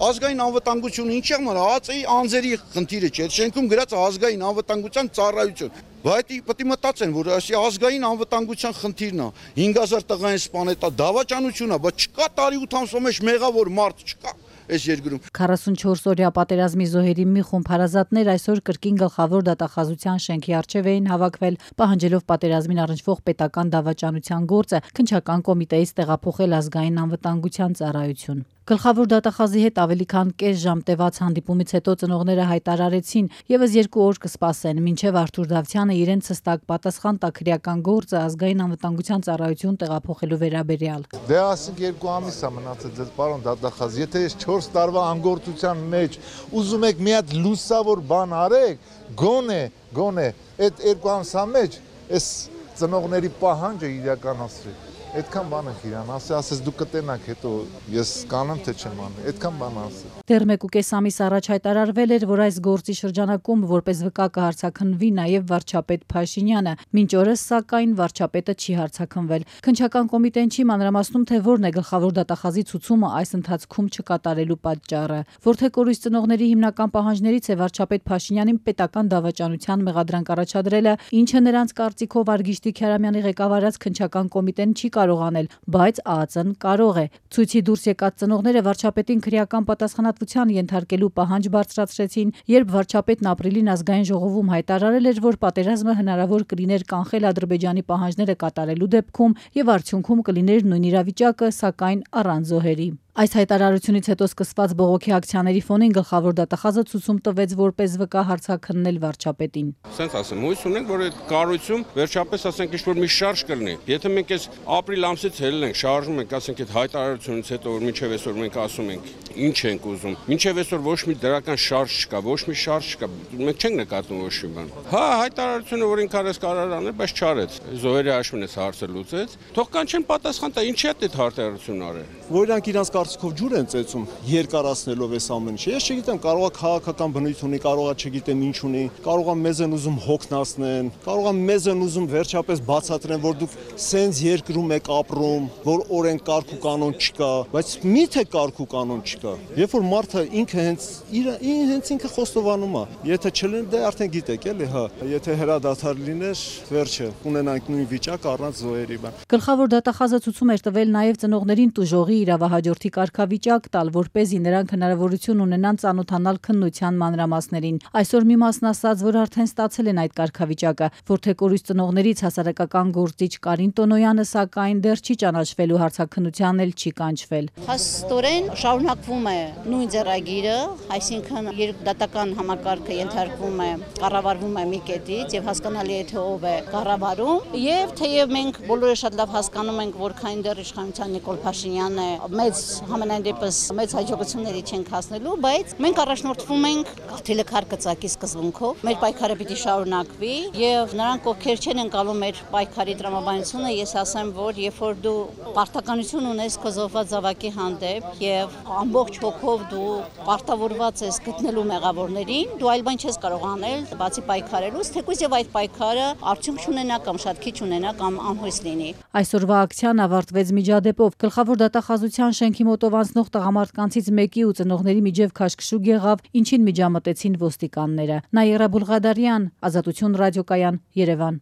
Ազգային անվտանգությունը ինչ եղման, ԱԱԾ-ի անձերի խնդիրը չէ, շենքում գրած ազգային անվտանգության ծառայություն։ Բայց պետք է մտածեն, որ այս ազգային անվտանգության խնդիրն է, 5000 տղային սպանել, դավաճանություն է, բայց չկա տարի 8 ամսվա մեջ մեղավոր մարդ չկա։ Այս երկրում 44-օրյա պատերազմի զոհերի մի խումբ հարազատներ այսօր կրկին գլխավոր դատախազության շենքի առջև էին հավաքվել, պահանջելով պատերազմին առնչվող պետական դավաճանության գործը քննչական կոմիտեից տեղափոխել ազգային անվտանգության ծառայություն։ Գլխավոր դատախազի հետ ավելի քան կես ժամ տևած հանդիպումից հետո ծնողները հայտարարեցին եւս 2 օր կսպասեն, մինչեւ Արթուր Դավթյանը իրենց հստակ պատասխան տա քրեական գործը ազգային անվտանգության ծառայություն տեղափոխելու վերաբերյալ։ Դե ասենք 2 ամիս է մնացել ձեզ պարոն դատախազ, եթե ես 4 տարվա անգործության մեջ ուզում եք մի հատ լուսավոր բան արեք, գոնե այդ 2 ամսա մեջ այս ծնողների պահանջը իրականացրեք։ Այդքան բան եք իրան ասես դուք կտենաք հետո ես կանեմ թե չեմ անի, այդքան բան ասել։ Դեռ 1.5 ամիս առաջ հայտարարվել էր, որ այս գործի շրջանակում որպես վկա կհարցաքննվի նաև վարչապետ Փաշինյանը, մինչ օրս սակայն վարչապետը չի հարցաքննվել։ Քննչական կոմիտեն չի մանրամասնում, թե որն է գլխավոր դատախազի ցուցումը այս ընթացքում չկատարելու պատճառը։ Որթեկորույս ծնողների հիմնական պահանջներից է վարչապետ Փաշինյանին պետական դավաճանության մեղադրանք առաջադրելը, ինչը նրանց կարծիքով Արգիշտի Քյարամյանի ղեկավարած քննչական կոմիտեն չի կարող անել, բայց ԱԱԾ-ն կարող է։ Ցույցի դուրս եկած ծնողները վարչապետին քրեական պատասխանատվության ենթարկելու պահանջ բարձրացրեցին, երբ վարչապետն ապրիլին ազգային ժողովում հայտարարել էր, որ պատերազմը հնարավոր կլիներ կանխել Ադրբեջանի պահանջները կատարելու դեպքում եւ արդյունքում կլիներ նույն իրավիճակը, սակայն առանց զոհերի։ Այս հայտարարությունից հետո սկսված բողոքի ակցիաների ֆոնին գլխավոր դատախազը ցուցում տվեց որպես վկա հարցաքննել վարչապետին։ Սենց ասեմ, հույս ունենք, որ այդ կառույցում վերջապես ասենք ինչ-որ մի շարժ կլինի։ Եթե մենք այս ապրիլ ամսից ելել ենք, շարժում ենք, ասենք այդ հայտարարությունից հետո որ մինչև այսօր մենք ասում ենք ինչ ենք ուզում։ Մինչև այսօր ոչ մի դրական շարժ չկա, ոչ մի շարժ չկա։ Մենք չենք նկատում ոչ մի բան։ Հա, հայտարարությունը որ ինքն արեց կարար անել, բայց չարեց։ Զոհերի հաշվին էս հարցը լուծեց։ Թող կանչեն պատասխան տա, ինչի է այդ հայտարարությունն արել։ Որ իրանք իրանց կարծիքով ջուր են ծեծում երկարացնելով այս ամեն ինչը։ Ես չգիտեմ, կարող է քաղաքական բնույթ ունի, կարող է չգիտեմ ինչ ունի, կարող է մեզ են ուզում հոգնածնեն, կարող է մեզ են ուզում վերջապես բացատրեն, որ դուք սենց երկրում եք ապրում, որ օրենք կարգ ու կանոն չկա, բայց միթե կարգ ու կանոն չկա։ Երբ որ մարդը ինքը հենց ինքը խոստովանում է, եթե չլինի դե արդեն գիտեք էլի, հա, եթե հրադադար լիներ, վերջը կունենանք նույն վիճակ առանց զոհերի բան։ Գլխավոր դատախազը ցուցում էր տվել նաև ծնողներին տուժողի իրավահաջորդի կարգավիճակ տալ, որպեսզի նրանք հնարավորություն ունենան ծանոթանալ քննության մանրամասներին։ Այսօր մի մասն ասաց, որ արդեն ստացել են այդ կարգավիճակը, որթեկորույս ծնողներից հասարակական գործիչ Կարին Տոնոյանը սակայն դեռ չի ճանաչվել ու հարցաքննության էլ չի կանչվել։ Հաստորեն շարունակվում է նույն ձեռագիրը, այսինքն երկդատական համակարգը ենթարկվում է, կառավարվում է մի կետից եւ հասկանալի է թե ով է կառավարում եւ թեև մենք բոլորը շատ լավ հասկանում ենք, որ քանի դեռ իշխանության Նիկոլ Փաշինյանն է մեծ համենայն դեպս մեծ հաջողությունների չենք հասնելու, բայց մենք առաջնորդվում ենք գաղթելը քարկծակի սկզբունքով։ Մեր պայքարը պիտի շարունակվի եւ նրանք ովքեր չեն ընկալում մեր պայքարի տրամաբանությունը, ես ասեմ, որ երբ որ դու պարտականություն ունես քո զոհված զավակի հանդեպ եւ ամբողջ հոգով դու պարտավորված ես գտնելու մեղավորներին, դու այլ բան չես կարող անել, բացի պայքարելուց, թեկուզ եւ այդ պայքարը արդյունք չունենա կամ շատ քիչ ունենա կամ անհույս լինի։ Այսօրվա ակցիան ավարտվեց միջադեպով։ Գլխավոր դատախազության շենքի մոտով անցնող տղամարդկանցից մեկի ու ծնողների միջև քաշքշուկ եղավ, ինչին միջամտեցին ոստիկանները։ Նաիրա Բուլղադարյան, Ազատություն ռադիոկայան, Երևան։